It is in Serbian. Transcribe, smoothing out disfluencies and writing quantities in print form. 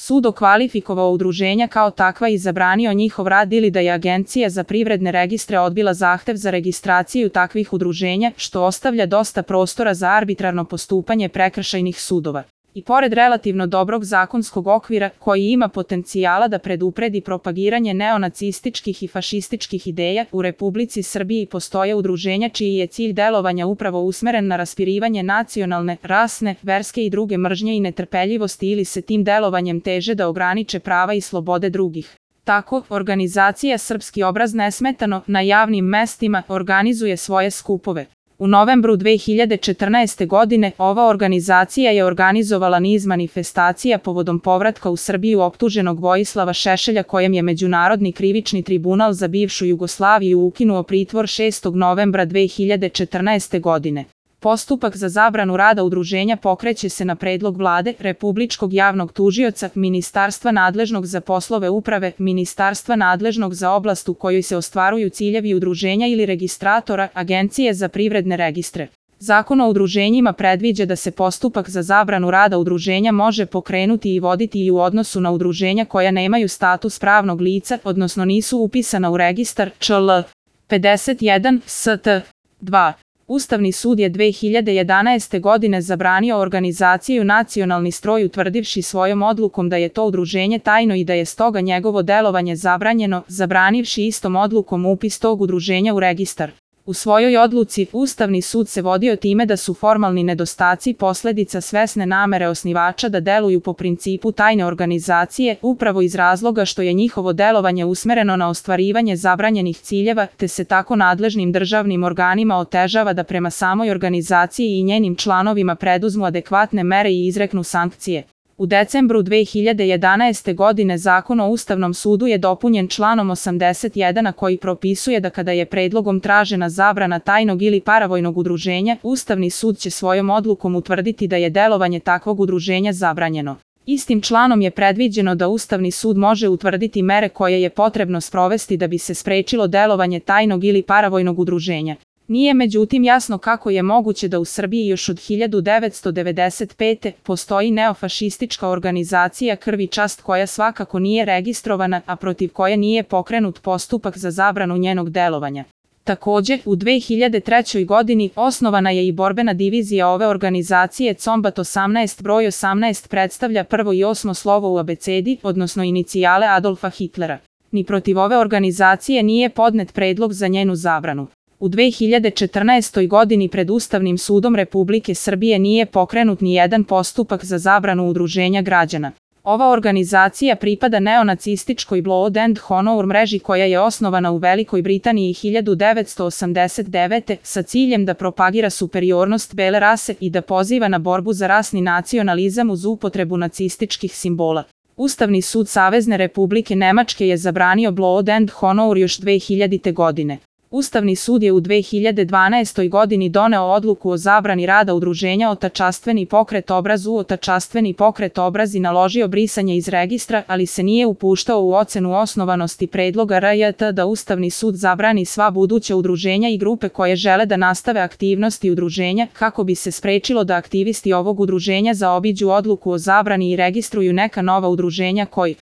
sud okvalifikovao udruženja kao takva i zabranio njihov rad ili da je Agencija za privredne registre odbila zahtev za registraciju takvih udruženja, što ostavlja dosta prostora za arbitrarno postupanje prekršajnih sudova. I pored relativno dobrog zakonskog okvira, koji ima potencijala da predupredi propagiranje neonacističkih i fašističkih ideja, u Republici Srbiji postoje udruženja čiji je cilj delovanja upravo usmeren na raspirivanje nacionalne, rasne, verske i druge mržnje i netrpeljivosti ili se tim delovanjem teže da ograniče prava i slobode drugih. Tako, organizacija Srpski obraz nesmetano na javnim mestima organizuje svoje skupove. U novembru 2014. godine ova organizacija je organizovala niz manifestacija povodom povratka u Srbiju optuženog Vojislava Šešelja, kojem je Međunarodni krivični tribunal za bivšu Jugoslaviju ukinuo pritvor 6. novembra 2014. godine. Postupak za zabranu rada udruženja pokreće se na predlog Vlade, Republičkog javnog tužioca, Ministarstva nadležnog za poslove uprave, Ministarstva nadležnog za oblast u kojoj se ostvaruju ciljevi udruženja ili registratora, Agencije za privredne registre. Zakon o udruženjima predviđa da se postupak za zabranu rada udruženja može pokrenuti i voditi i u odnosu na udruženja koja nemaju status pravnog lica, odnosno nisu upisana u registar ČL 51 ST 2. Ustavni sud je 2011. godine zabranio organizaciju Nacionalni stroj utvrdivši svojom odlukom da je to udruženje tajno i da je stoga njegovo delovanje zabranjeno, zabranivši istom odlukom upis tog udruženja u registar. U svojoj odluci, Ustavni sud se vodio time da su formalni nedostaci posledica svesne namere osnivača da deluju po principu tajne organizacije, upravo iz razloga što je njihovo delovanje usmereno na ostvarivanje zabranjenih ciljeva, te se tako nadležnim državnim organima otežava da prema samoj organizaciji i njenim članovima preduzmu adekvatne mere i izreknu sankcije. U decembru 2011. godine Zakon o Ustavnom sudu je dopunjen članom 81, koji propisuje da kada je predlogom tražena zabrana tajnog ili paravojnog udruženja, Ustavni sud će svojom odlukom utvrditi da je delovanje takvog udruženja zabranjeno. Istim članom je predviđeno da Ustavni sud može utvrditi mere koje je potrebno sprovesti da bi se sprečilo delovanje tajnog ili paravojnog udruženja. Nije međutim jasno kako je moguće da u Srbiji još od 1995. postoji neofašistička organizacija Krv i čast koja svakako nije registrovana, a protiv koje nije pokrenut postupak za zabranu njenog delovanja. Također, u 2003. godini osnovana je i borbena divizija ove organizacije Combat 18. Broj 18 predstavlja prvo i osmo slovo u abecedi, odnosno inicijale Adolfa Hitlera. Ni protiv ove organizacije nije podnet predlog za njenu zabranu. U 2014. godini pred Ustavnim sudom Republike Srbije nije pokrenut ni jedan postupak za zabranu udruženja građana. Ova organizacija pripada neonacističkoj Blood and Honor mreži koja je osnovana u Velikoj Britaniji 1989. sa ciljem da propagira superiornost bele rase i da poziva na borbu za rasni nacionalizam uz upotrebu nacističkih simbola. Ustavni sud Savezne Republike Nemačke je zabranio Blood and Honor još 2000. godine. Ustavni sud je u 2012. godini doneo odluku o zabrani rada udruženja Otačastveni pokret obraz Otačastveni pokret obraz i naložio brisanje iz registra, ali se nije upuštao u ocenu osnovanosti predloga RJT da Ustavni sud zabrani sva buduća udruženja i grupe koje žele da nastave aktivnosti udruženja, kako bi se sprečilo da aktivisti ovog udruženja zaobiđu odluku o zabrani i registruju neka nova udruženja koji